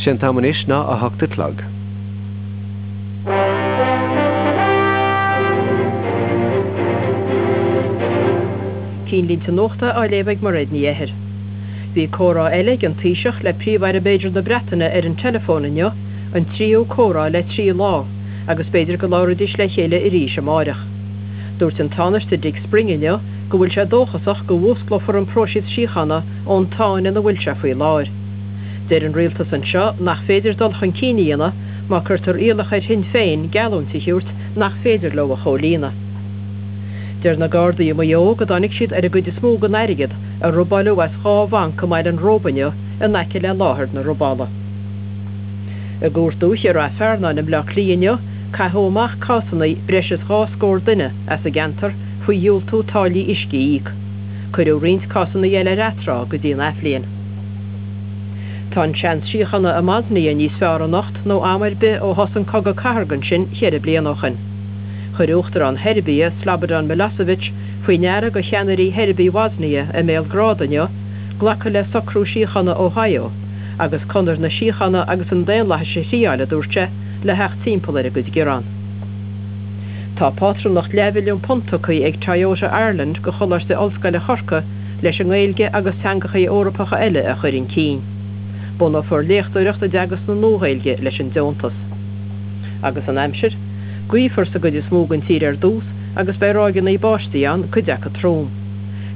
Sé an t-am anois ná 8 a chlog. Cinnlínte Nuachta á léamh ag Mairéad Ní Eithir. Bhí comhrá eile ag an Taoiseach le Príomh-Aire b'fhéidir na Breataine ar an teileafón inniu, an tríú comhrá le 3 lá, agus b'fhéidir go labhróidís le chéile arís amáireach. Dúirt an Tánaiste Dick Spring inniu go bhfuil sé dóchasach go bhfuasclófar an próiseas síochána ón tsáinn ina bhfuil sé faoi láthair. Deir an rialtas anseo nach féidir dul chun cinn a dhéanamh má cuirtear iallach ar Shinn Féin geallúint a thabhairt nach féidir leo a chomhlíonadh. Deir na Gardaí i Maigh Eo go dtáinig siad ar an gcuid is mó den airgead a robáileadh as 2 bhanc i mBaile an Róba inniu in aice le láthair na robála. I gCúirt Dúiche i Rath Fearnáin i mBleá Cliath inniu caitheadh amach cásanna breis is 2 scór duine as an gceantar faoi dhiúltú táillí uisce a íoc. Cuireadh roinnt cásanna eile ar atráth go dtí an athbhliain. Tá an seans síochána i mBosnia níos fearr anocht nó am ar bith ó thosaigh an cogadh cathartha ansin cheithre bliana ó shin. Chuir Uachtarán Sheirbia, Slobodan Milosevic, faoi ndeara go cheannairí Sheirbigh Bhosnia i mBéalgrád inniu glacadh le socrú síochána Ohio agus conair na síochána agus an daonlathais a thriáil, a dúirt sé, le theacht timpeall ar a gcuid gearán. Tá pátrúnacht leathmhilliún punt tugtha ag Toyota Ireland go Choláiste Ollscoile Chorcaí leis an nGaeilge agus teangachaí Eorpacha eile a chur chun cinn. Bunófar léachtóireacht i dteagasc na Nua-Ghaeilge leis an deontas. Agus an aimsir? Gaofar sa gcuid is mó den tír ar dtús agus beidh ráigeanna báistí ann, cuid acu trom.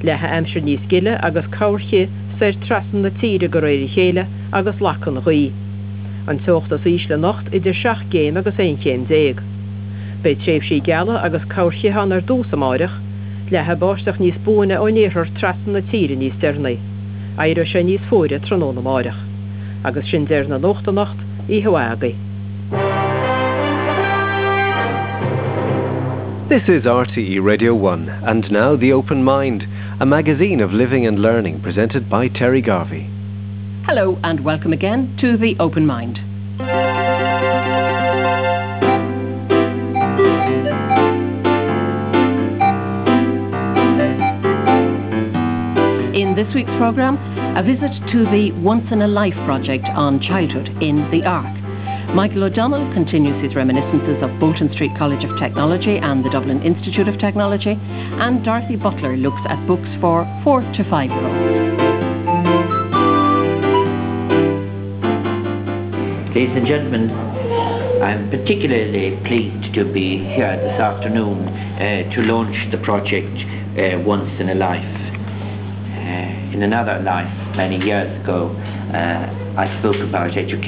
Leathfaidh aimsir níos gile agus corrchith soir trasna na tíre de réir a chéile agus lagfaidh an ghaoth. An teocht is ísle anocht idir 7 gcéim agus 11 chéim. Beidh tréimhsí geala agus corrchith ann ar dtús amáireach. Leathfaidh báisteach níos buaine ón iarthar trasna na tíre níos deireanaí. Éireoidh sé níos fuaire tráthnóna amáireach. Agus sin deireadh na nuachta anocht, oíche mhaith agaibh. This is RTE Radio 1, and now The Open Mind, a magazine of living and learning presented by Terry Garvey. Hello and welcome again to The Open Mind. In this week's programme, a visit to the Once in a Life project on childhood in the Ark. Michael O'Donnell continues his reminiscences of Bolton Street College of Technology and the Dublin Institute of Technology, and Dorothy Butler looks at books for 4 to 5 year olds. Ladies and gentlemen, I'm particularly pleased to be here this afternoon uh, to launch the project uh, Once in a Life. Uh, in another life, many years ago, uh, I spoke about education.